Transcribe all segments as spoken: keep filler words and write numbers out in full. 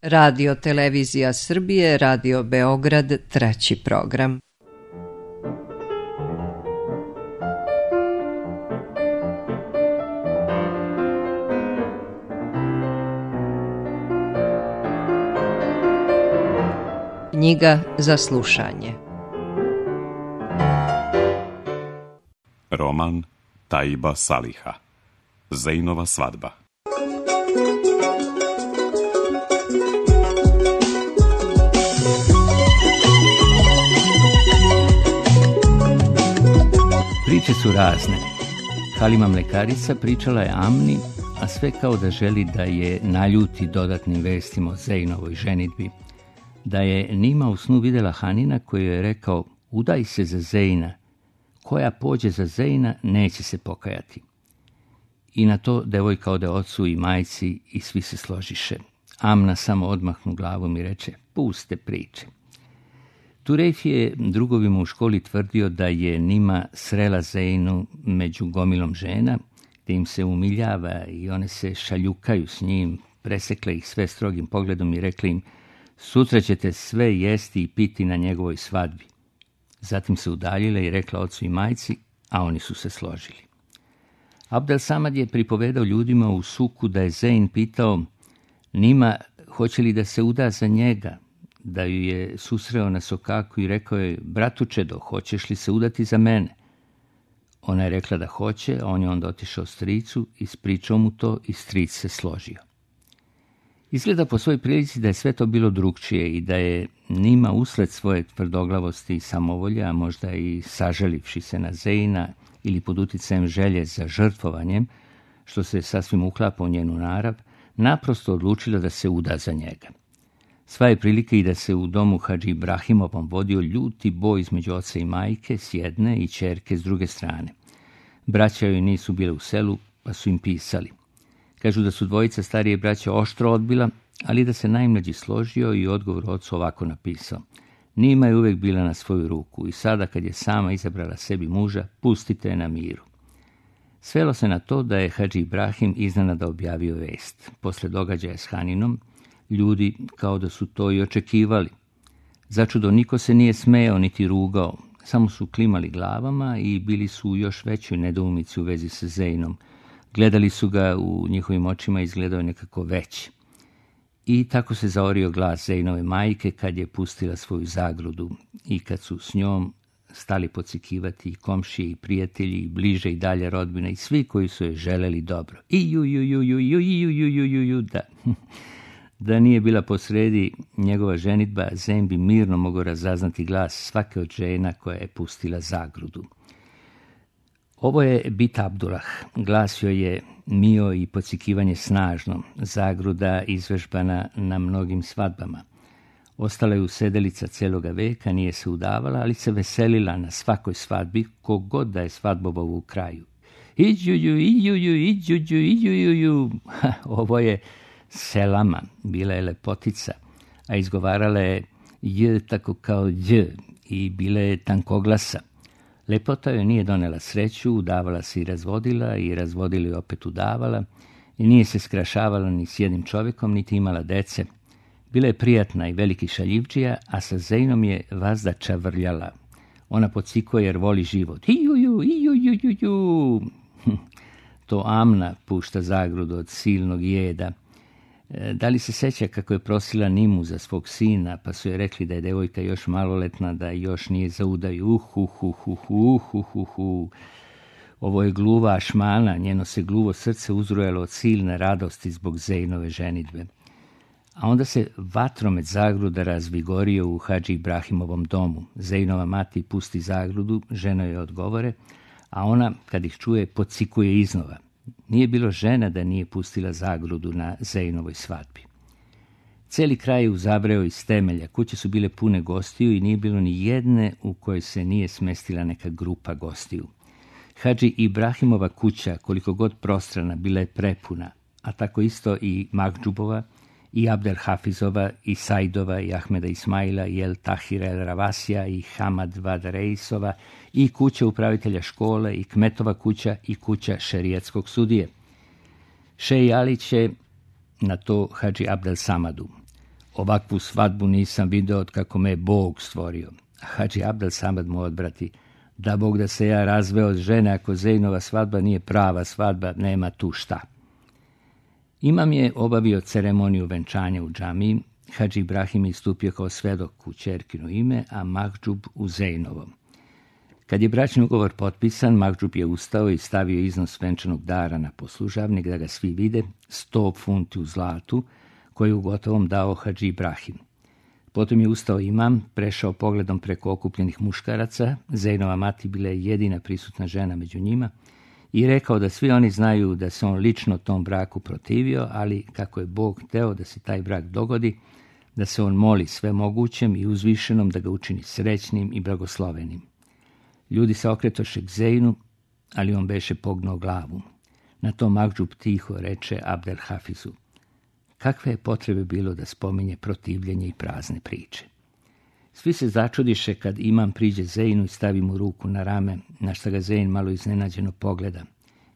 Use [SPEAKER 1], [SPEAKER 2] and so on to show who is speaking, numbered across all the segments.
[SPEAKER 1] Radio Televizija Srbije, Radio Beograd, treći program. Knjiga za slušanje.
[SPEAKER 2] Roman Taiba Saliha. Zejnova svadba.
[SPEAKER 3] Priče su razne. Halima mlekarica pričala je Amni, a sve kao da želi da je naljuti dodatnim vestima o Zejnovoj ženidbi. Da je Nima u snu vidjela Hanina koji je rekao: udaj se za Zejna, koja pođe za Zejna neće se pokajati. I na to devojka ode ocu i majci i svi se složiše. Amna samo odmahnu glavom i reče: puste priče. Turejf je drugovima u školi tvrdio da je Nima srela Zejnu među gomilom žena, gdje im se umiljava i one se šaljukaju s njim, presekle ih sve strogim pogledom i rekli im: sutra ćete sve jesti i piti na njegovoj svadbi. Zatim se udaljile i rekla ocu i majci, a oni su se složili. Abdel Samad je pripovedao ljudima u suku da je Zejn pitao Nima hoće li da se uda za njega, da ju je susreo na sokaku i rekao je: bratučedo, hoćeš li se udati za mene? Ona je rekla da hoće, a on je onda otišao stricu, ispričao mu to i stric se složio. Izgleda po svojoj prilici da je sve to bilo drugčije i da je Nima usled svoje tvrdoglavosti i samovolje, a možda i sažalivši se na Zejna ili pod uticajem želje za žrtvovanjem, što se sasvim uklapa u njenu narav, naprosto odlučila da se uda za njega. Sva je prilika i da se u domu Hadži Ibrahimovom vodio ljuti boj između oca i majke s jedne i ćerke s druge strane. Braća joj nisu bile u selu, pa su im pisali. Kažu da su dvojica starije braća oštro odbila, ali da se najmlađi složio i odgovor ocu ovako napisao: Nima je uvijek bila na svoju ruku i sada kad je sama izabrala sebi muža, pustite je na miru. Svelo se na to da je Hadži Ibrahim iznenada objavio vest. Posle događaja s Haninom, ljudi kao da su to i očekivali. Začudo niko se nije smejao niti rugao, samo su klimali glavama i bili su u još većoj nedoumici u vezi sa Zejnom. Gledali su ga, u njihovim očima izgledao nekako veći. I tako se zaorio glas Zejnove majke kad je pustila svoju zagrudu i kad su s njom stali podsikivati i komšije i prijatelji i bliže i dalje rodbina i svi koji su joj želeli dobro. I ju ju ju ju ju ju ju ju ju ju da. Da nije bila posredi njegova ženidba, Zejn bi mirno mogao razaznati glas svake od žena koja je pustila zagrudu. Ovo je Bit Abdullah, glasio je mio i podsikivanje snažno, zagruda izvežbana na mnogim svadbama. Ostala je usedelica celoga veka, nije se udavala, ali se veselila na svakoj svadbi, kogod da je svadbovao u kraju. Iđuju, iđuju, iđuju, iđuju. Ovo je Selama, bila je lepotica, a izgovarala je j tako kao dj i bila je tankoglasa. Lepota joj nije donela sreću, udavala se i razvodila i razvodila i opet udavala i nije se skrašavala ni s jednim čovjekom, niti imala dece. Bila je prijatna i veliki šaljivđija, a sa Zejnom je vazda čavrljala. Ona podsikuje jer voli život. Ijuju, ijuju, ijuju. To Amna pušta zagrudu od silnog jeda. Da li se seća kako je prosila Nimu za svog sina, pa su je rekli da je devojka još maloletna, da još nije za udaju. Uh, uh, uh, uh, uh, uh, uh, uh. Ovo je gluva Ašmana, njeno se gluvo srce uzrujalo od silne radosti zbog Zejnove ženidbe. A onda se vatromet zagruda razvigorio u Hadži Ibrahimovom domu. Zejnova mati pusti zagrudu, žena joj odgovore, a ona, kad ih čuje, podsikuje iznova. Nije bilo žena da nije pustila zagrudu na Zejnovoj svadbi. Cijeli kraj je uzavreo iz temelja, kuće su bile pune gostiju i nije bilo ni jedne u kojoj se nije smestila neka grupa gostiju. Hadži Ibrahimova kuća, koliko god prostrana, bila je prepuna, a tako isto i Magdžubova, i Abdel Hafizova, i Sajdova, i Ahmeda Ismaila, i El Tahira El Ravasija, i Hamad Vad Reisova, i kuća upravitelja škole, i Kmetova kuća, i kuća šerijatskog sudije. Šej Ali će na to Hadži Abdel Samadu. ovakvu svadbu nisam video od kako me je Bog stvorio. Hadži Abdel Samad mu odbrati, da Bog da se ja razveo od žene, ako Zejnova svadba nije prava svadba, nema tu šta. Imam je obavio ceremoniju venčanja u džamiji, Hadži Ibrahim je istupio kao svedok u ćerkino ime, a Mahdžub u Zejnovom. Kad je bračni ugovor potpisan, Mahdžub je ustao i stavio iznos venčanog dara na poslužavnik da ga svi vide, sto funti u zlatu, koji je u gotovom dao Hadži Ibrahim. Potom je ustao imam, prešao pogledom preko okupljenih muškaraca, Zejnova mati bila je jedina prisutna žena među njima, i rekao da svi oni znaju da se on lično tom braku protivio, ali kako je Bog hteo da se taj brak dogodi, da se on moli svemogućem i uzvišenom da ga učini srećnim i blagoslovenim. Ljudi se okretoše k Zejnu, ali on beše pognuo glavu. Na to Mahdžub tiho reče Abdel Hafizu, kakve je potrebe bilo da spominje protivljenje i prazne priče. Svi se začudiše kad imam priđe Zejnu i stavi mu ruku na rame, na šta ga Zejn malo iznenađeno pogleda.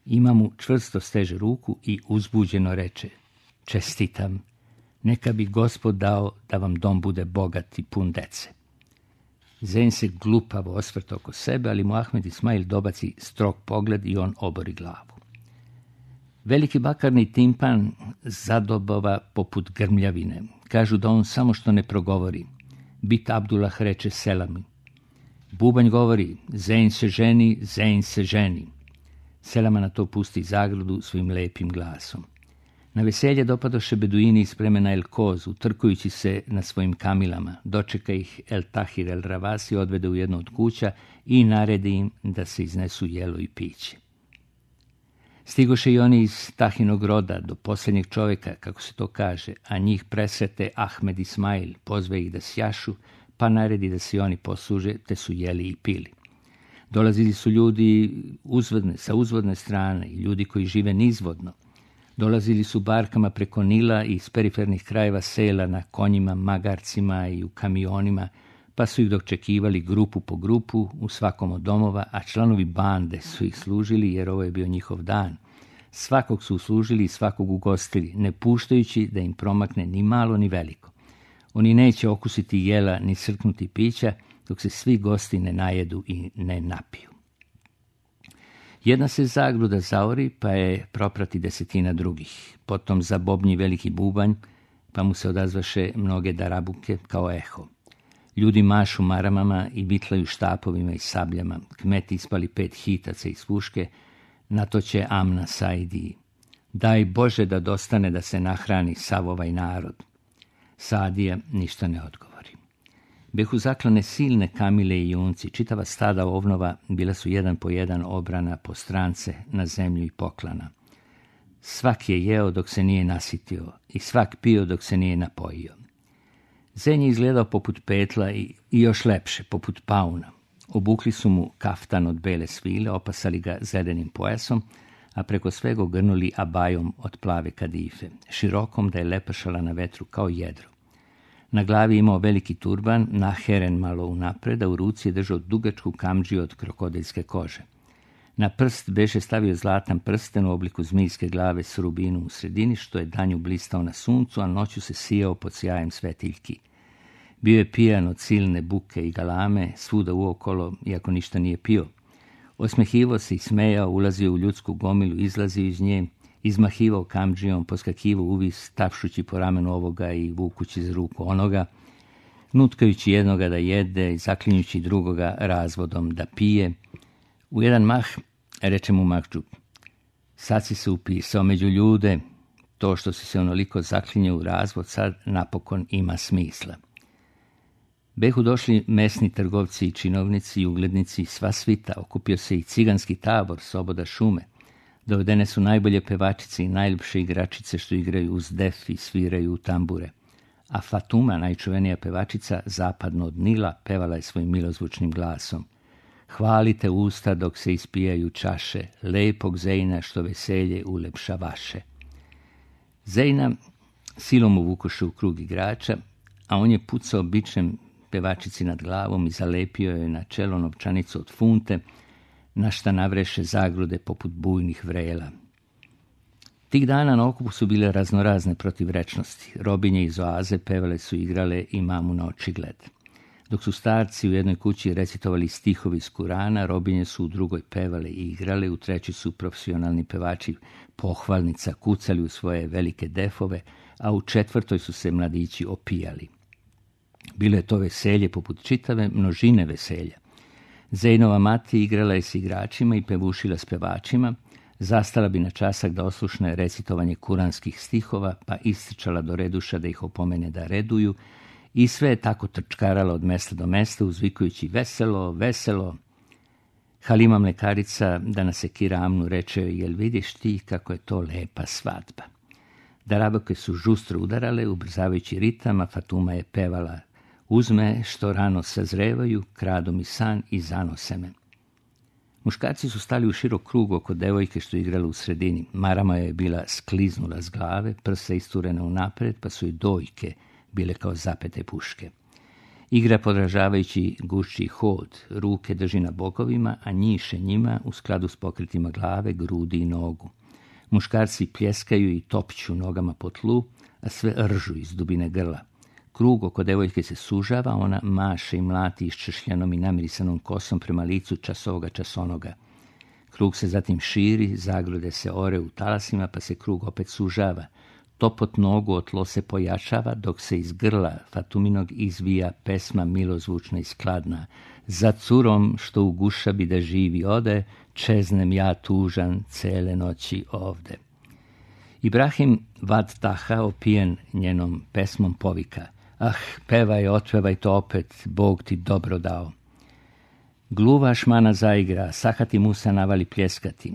[SPEAKER 3] Imam mu čvrsto steže ruku i uzbuđeno reče, čestitam, neka bi Gospod dao da vam dom bude bogat i pun dece. Zejn se glupavo osvrta oko sebe, ali mu Ahmed Ismail dobaci strog pogled i on obori glavu. Veliki bakarni timpan zadobova poput grmljavine. Kažu da on samo što ne progovori. Bit Abdullah reče selami. Bubanj govori, Zejn se ženi, Zejn se ženi. Selama na to pusti zagradu svojim lepim glasom. Na veselje dopadoše beduini iz plemena El Koz, utrkujući se na svojim kamilama. Dočeka ih El Tahir El Ravasi, odvede u jednu od kuća i naredi im da se iznesu jelo i piće. Stigoše i oni iz Tahinog roda do posljednjeg čovjeka, kako se to kaže, a njih presrete Ahmed Ismail, pozve ih da sjašu, pa naredi da se oni posluže, te su jeli i pili. Dolazili su ljudi uzvodne, sa uzvodne strane i ljudi koji žive nizvodno. Dolazili su barkama preko Nila i iz perifernih krajeva sela na konjima, magarcima i u kamionima, pa su ih dočekivali grupu po grupu u svakom od domova, a članovi bande su ih služili jer ovo je bio njihov dan. Svakog su uslužili i svakog ugostili, ne puštajući da im promakne ni malo ni veliko. Oni neće okusiti jela ni srknuti pića, dok se svi gosti ne najedu i ne napiju. Jedna se zagruda zaori, pa je proprati desetina drugih. Potom zabobnji veliki bubanj, pa mu se odazvaše mnoge darabuke kao eho. Ljudi mašu maramama i vitlaju štapovima i sabljama. Kmeti ispali pet hitaca iz puške, na to će Amna Saidiji. Daj Bože da dostane da se nahrani sav ovaj narod. Saadija ništa ne odgovori. Behu zaklane silne kamile i junci, čitava stada ovnova bila su jedan po jedan obrana po strance na zemlju i poklana. Svak je jeo dok se nije nasitio i svak pio dok se nije napojio. Zen je izgledao poput petla i, i još lepše, poput pauna. Obukli su mu kaftan od bele svile, opasali ga zedenim pojasom, a preko svega grnuli abajom od plave kadife, širokom da je lepašala na vetru kao jedro. Na glavi imao veliki turban, naheren malo unapred, a u ruci je držao dugačku kamdžiju od krokodilske kože. Na prst beše stavio zlatan prsten u obliku zmijske glave s rubinom u sredini, što je danju blistao na suncu, a noću se sijao pod sjajem svetiljki. Bio je pijan od silne buke i galame, svuda uokolo, iako ništa nije pio. Osmehivao se i smejao, ulazio u ljudsku gomilu, izlazio iz nje, izmahivao kamdžijom, poskakivao uvis, tapšući po ramenu ovoga i vukući za ruku onoga, nutkajući jednoga da jede i zaklinjući drugoga razvodom da pije. U jedan mah reče mu Mahdžub, sad si se upisao među ljude, to što si se onoliko zaklinjao u razvod sad napokon ima smisla. Behu došli mesni trgovci i činovnici i uglednici, sva svita, okupio se i ciganski tabor s oboda šume. Dovedene su najbolje pevačice i najljepše igračice što igraju uz def i sviraju u tambure. A Fatuma, najčuvenija pevačica, zapadno od Nila, pevala je svojim milozvučnim glasom. Hvalite usta dok se ispijaju čaše, lepog Zejna što veselje ulepša vaše. Zejna silom uvukoše u krug igrača, a on je pucao bičem pevačici nad glavom i zalepio je na čelo novčanicu od funte, na šta navreše zagrude poput bujnih vrela. Tih dana na okupu su bile raznorazne protivrečnosti. Robinje iz oaze pevale su igrale imamu na očigled. Dok su starci u jednoj kući recitovali stihovi iz Kurana, robinje su u drugoj pevale i igrale, u trećoj su profesionalni pevači pohvalnica kucali u svoje velike defove, a u četvrtoj su se mladići opijali. Bilo je to veselje poput čitave množine veselja. Zejnova mati igrala je s igračima i pevušila s pevačima, zastala bi na časak da oslušne recitovanje kuranskih stihova, pa ističala do reduša da ih opomene da reduju, i sve je tako trčkarala od mesta do mesta, uzvikujući veselo, veselo. Halima mlekarica, da nas sekira Amnu, reče joj, jel vidiš ti kako je to lepa svadba? Darabake su žustro udarale, ubrzavajući ritam, a Fatuma je pevala, uzme što rano sazrevaju, kradu mi san i zanose me. Muškarci su stali u širok krug oko devojke što igrala u sredini. Marama je bila skliznula s glave, prsa isturena unapred, pa su i dojke bile kao zapete puške. Igra podražavajući gušći hod, ruke drži na bokovima, a njiše njima u skladu s pokritima glave, grudi i nogu. Muškarci pljeskaju i topću nogama po tlu, a sve ržu iz dubine grla. Krug oko devojke se sužava, ona maše i mlati iščešljanom i namirisanom kosom prema licu časovoga časonoga. Krug se zatim širi, zagrode se ore u talasima, pa se krug opet sužava. Topot nogu o tlo se pojačava, dok se iz grla Fatuminog izvija pesma milozvučna i skladna. Za curom što u gušabi da živi ode, čeznem ja tužan cele noći ovde. Ibrahim Vad Taha, opijen njenom pesmom, povika, ah, pevaj, otpevaj to opet, Bog ti dobro dao. Gluva šmana zaigra, Sahati Musa navali pljeskati.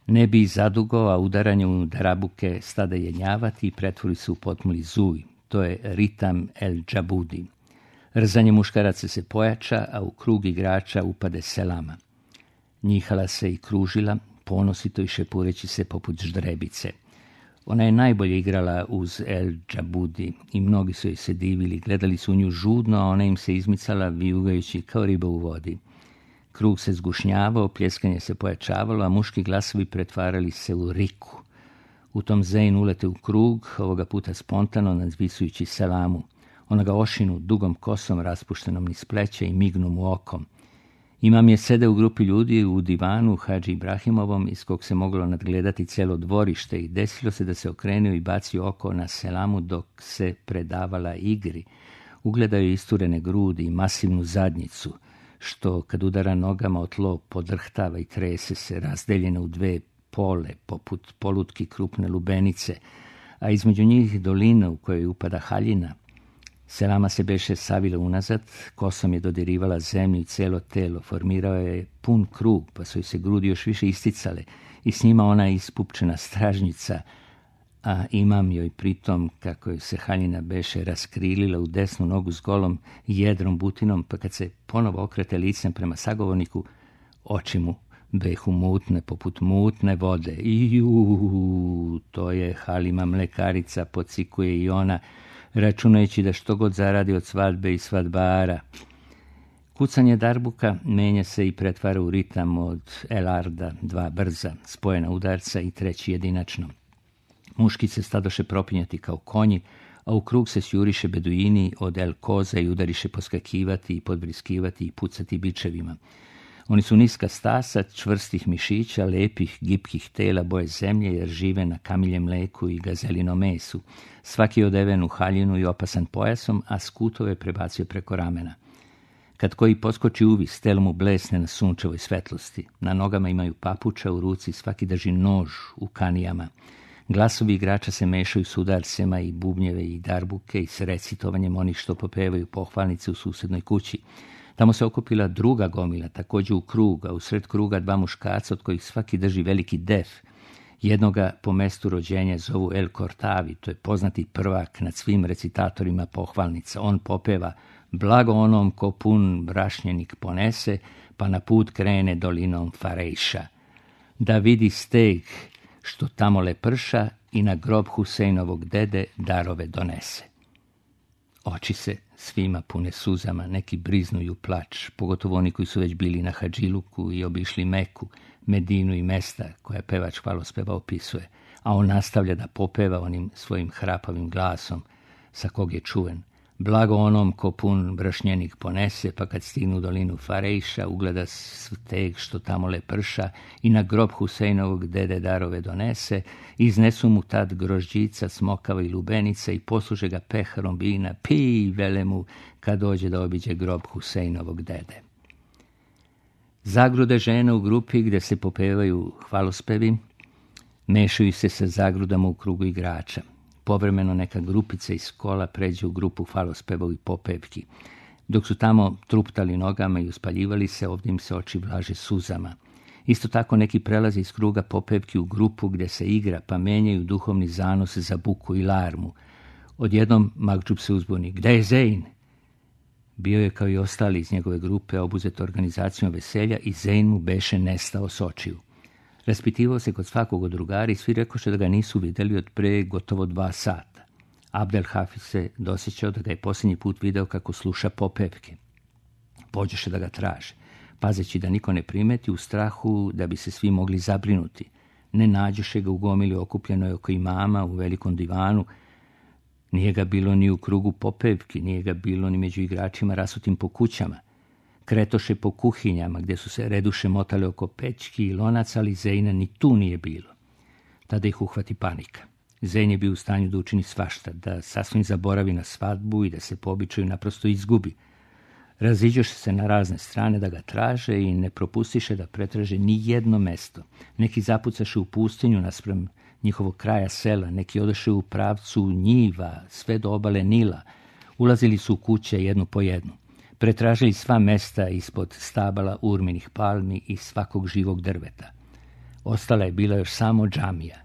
[SPEAKER 3] Ne bi zadugo, a udaranje u darabuke stade jenjavati i pretvori se u potmuli zuj. To je ritam el džabudi. Rzanje muškaraca se pojača, a u krug igrača upade selama. Njihala se i kružila, ponosito i šepureći se poput ždrebice. Ona je najbolje igrala uz el džabudi i mnogi su joj se divili, gledali su u nju žudno, a ona im se izmicala vijugajući kao riba u vodi. Krug se zgušnjavao, pljeskanje se pojačavalo, a muški glasovi pretvarali se u riku. U tom Zeyn ulete u krug, ovoga puta spontano nadzvisujući selamu. Ona ga ošinu dugom kosom raspuštenom niz pleća i mignu mu okom. Imam je sede u grupi ljudi u divanu Hadži Ibrahimovom, iz kog se moglo nadgledati celo dvorište, i desilo se da se okrenuo i bacio oko na selamu dok se predavala igri. Ugledao je isturene grudi i masivnu zadnjicu, što kad udara nogama o tlo podrhtava i trese se, razdeljene u dve pole, poput polutki krupne lubenice, a između njih dolina u kojoj upada haljina. Selama se beše savila unazad, kosom je dodirivala zemlju i celo telo, formirao je pun krug, pa su joj se grudi još više isticale i s njima ona ispupčena stražnjica, a imam joj pritom, kako joj se haljina beše raskrilila u desnu nogu s golom jedrom butinom, pa kad se ponovo okrete licem prema sagovorniku, oči mu behu mutne poput mutne vode. Iu, to je Halima mlekarica, pocikuje i ona, računajući da što god zaradi od svadbe i svadbara. Kucanje darbuka menja se i pretvara u ritam od elarda, dva brza, spojena udarca i treći jedinačno. Muški se stadoše propinjati kao konji, a u krug se sjuriše beduini od el koza i udariše poskakivati i podbriskivati i pucati bičevima. Oni su niska stasa, čvrstih mišića, lepih, gipkih tela boje zemlje, jer žive na kamiljem mleku i gazelinom mesu. Svaki je odeven u haljinu i opasan pojasom, a skutove prebacio preko ramena. Kad koji poskoči uvis, telo mu blesne na sunčevoj svetlosti. Na nogama imaju papuča, u ruci svaki drži nož u kanijama. Glasovi igrača se mešaju s udarcema i bubnjeve i darbuke i s recitovanjem onih što popevaju pohvalnice u susednoj kući. Tamo se okupila druga gomila, također u krug, a usred kruga dva muškarca od kojih svaki drži veliki def. Jednoga po mestu rođenja zovu El Kortavi, to je poznati prvak nad svim recitatorima pohvalnica. On popeva blago onom ko pun brašnjenik ponese, pa na put krene dolinom Farejša. Da vidi steg što tamo leprša i na grob Husejnovog dede darove donese. Oči se svima pune suzama, neki briznuju plač, pogotovo oni koji su već bili na Hadžiluku i obišli Meku, Medinu i mesta koja pevač hvalospeva opisuje. a on nastavlja da popeva onim svojim hrapavim glasom, sa kog je čuven. Blago onom ko pun brašnjenik ponese, pa kad stignu u dolinu Farejša, ugleda steg što tamo le prša i na grob Husejnovog dede darove donese, iznesu mu tad grožđica, smokava i lubenica i posluže ga peharom vina, pij, vele mu, kad dođe da obiđe grob Husejnovog dede. Zagrude žena u grupi gde se popevaju hvalospevi, mešaju se sa zagrudama u krugu igrača. Povremeno neka grupica iz kola pređe u grupu hvalospeva i popevki. Dok su tamo truptali nogama i uspaljivali se, ovdje im se oči vlaže suzama. Isto tako neki prelaze iz kruga popevki u grupu gdje se igra, pa menjaju duhovni zanos za buku i larmu. Odjednom Makdžub se uzbuni. Gde je Zein? Bio je kao i ostali iz njegove grupe obuzet organizacijom veselja i Zein mu beše nestao s očiju. Raspitivao se kod svakog od drugara i svi rekoše da ga nisu vidjeli od pre gotovo dva sata. Abdel Hafiz se dosjećao da ga je posljednji put video kako sluša popevke. Pođeše da ga traže, pazeći da niko ne primeti u strahu da bi se svi mogli zabrinuti. Ne nađoše ga u gomili okupljenoj oko imama u velikom divanu. Nije ga bilo ni u krugu popevki, nije ga bilo ni među igračima rasutim po kućama. Kretoše po kuhinjama gdje su se reduše motale oko pećki i lonaca, ali Zeina ni tu nije bilo. Tada ih uhvati panika. Zein je bio u stanju da učini svašta, da sasvim zaboravi na svadbu i da se po običaju naprosto izgubi. Raziđoše se na razne strane da ga traže i ne propustiše da pretraže ni jedno mesto. Neki zapucaše u pustinju naspram njihovog kraja sela, neki odoše u pravcu njiva, sve do obale Nila. Ulazili su u kuće jednu po jednu. Pretražili sva mesta ispod stabala urminih palmi i svakog živog drveta. Ostala je bila još samo džamija,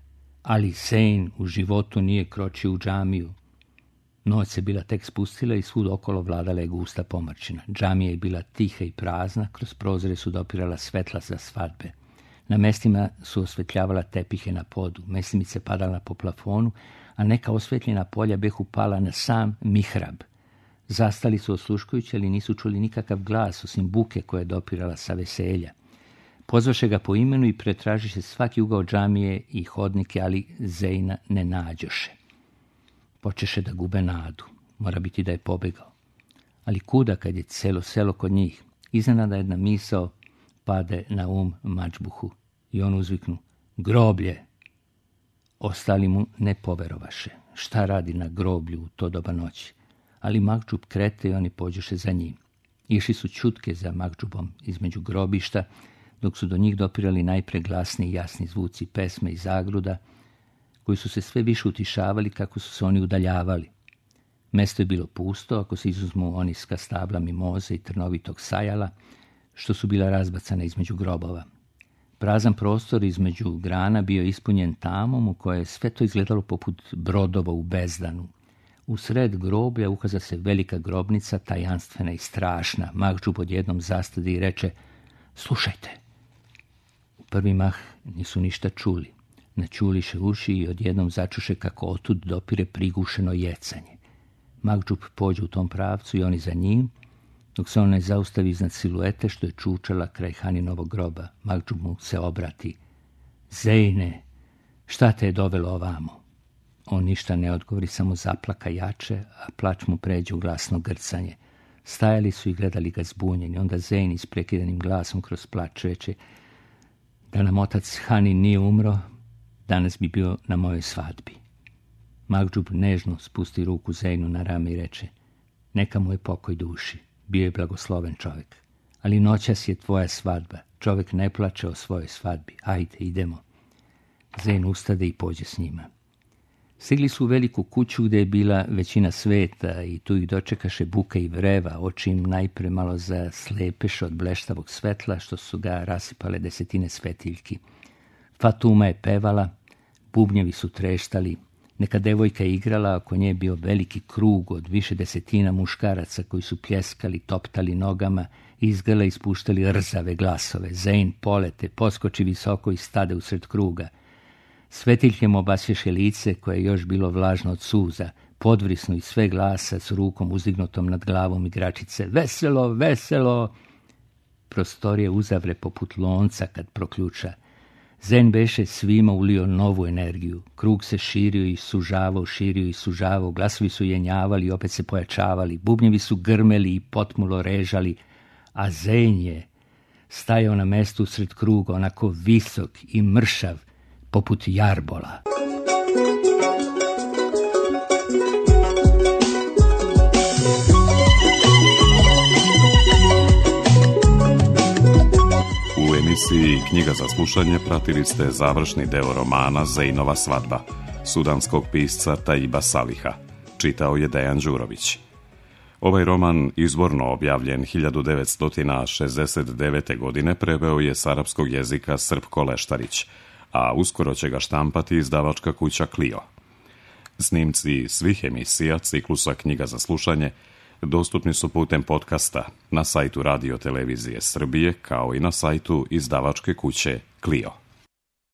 [SPEAKER 3] ali Zein u životu nije kročio u džamiju. Noć se bila tek spustila i svud okolo vladala je gusta pomrčina. Džamija je bila tiha i prazna, kroz prozore su dopirala svetla za svadbe. Na mestima su osvetljavala tepihe na podu, meslimice padala po plafonu, a neka osvetljena polja behu pala na sam mihrab. Zastali su osluškujući, ali nisu čuli nikakav glas, osim buke koja je dopirala sa veselja. Pozvaše ga po imenu i pretražiše svaki ugao džamije i hodnike, ali Zeina ne nađoše. Počeše da gube nadu. Mora biti da je pobegao. Ali kuda kad je celo selo kod njih? Iznenada jedna misao pade na um Madžbuhu i on uzviknu: groblje! Ostali mu ne poverovaše. Šta radi na groblju u to doba noći? Ali Makdžub krete i oni pođoše za njim. Išli su čutke za Makdžubom između grobišta, dok su do njih dopirali najpre glasni i jasni zvuci pesme i zagruda, koji su se sve više utišavali kako su se oni udaljavali. Mesto je bilo pusto, ako se izuzmu oniska stabla mimoze i trnovitog sajala, što su bila razbacana između grobova. Prazan prostor između grana bio ispunjen tamom u kojoj je sve to izgledalo poput brodova u bezdanu. U sred groblja ukaza se velika grobnica, tajanstvena i strašna. Makdžub odjednom zastade i reče: slušajte. U prvi mah nisu ništa čuli. Načuliše uši i odjednom začuše kako otud dopire prigušeno jecanje. Makdžub pođe u tom pravcu i oni za njim, dok se on ne zaustavi iznad siluete što je čučala kraj Haninovog groba. Makdžub mu se obrati: Zeine, šta te je dovelo ovamo? On ništa ne odgovori, samo zaplaka jače, a plač mu pređe u glasno grcanje. Stajali su i gledali ga zbunjeni. Onda Zein isprekidanim glasom kroz plač reče: da nam otac Hanin nije umro, danas bi bio na mojoj svadbi. Makdžub nežno spusti ruku Zeinu na rame i reče: neka mu je pokoj duši, bio je blagosloven čovjek. Ali noćas je tvoja svadba, čovjek ne plače o svojoj svadbi, ajde, idemo. Zein ustade i pođe s njima. Stigli su u veliku kuću gdje je bila većina sveta i tu ih dočekaše buka i vreva, oči im najpre malo zaslepeše od bleštavog svetla što su ga rasipale desetine svetiljki. Fatuma je pevala, bubnjevi su treštali, neka devojka je igrala, oko nje je bio veliki krug od više desetina muškaraca koji su pljeskali, toptali nogama, izgrla i ispuštali rzave glasove. Zein polete, poskoči visoko i stade usred kruga. Svetiljke mu obasješe lice koje je još bilo vlažno od suza, podvrisnu iz sve glasa s rukom uzdignutom nad glavom igračice: veselo, veselo! Prostorije uzavre poput lonca kad proključa. Zen beše svima ulio novu energiju. Krug se širio i sužavao, širio i sužavao, glasovi su jenjavali i opet se pojačavali, bubnjevi su grmeli i potmulo režali, a Zen je stajao na mestu usred kruga, onako visok i mršav, poput jarbola.
[SPEAKER 2] U emisiji Knjiga za slušanje pratili ste završni deo romana Zeinova svadba, sudanskog pisca Taiba Saliha. Čitao je Dejan Đurović. Ovaj roman, izvorno objavljen hiljadu devetsto šezdeset devete. godine, preveo je s arapskog jezika Srpko Leštarić, a uskoro će ga štampati izdavačka kuća Clio. Snimci svih emisija ciklusa Knjiga za slušanje dostupni su putem podcasta na sajtu Radio Televizije Srbije, kao i na sajtu izdavačke kuće Clio.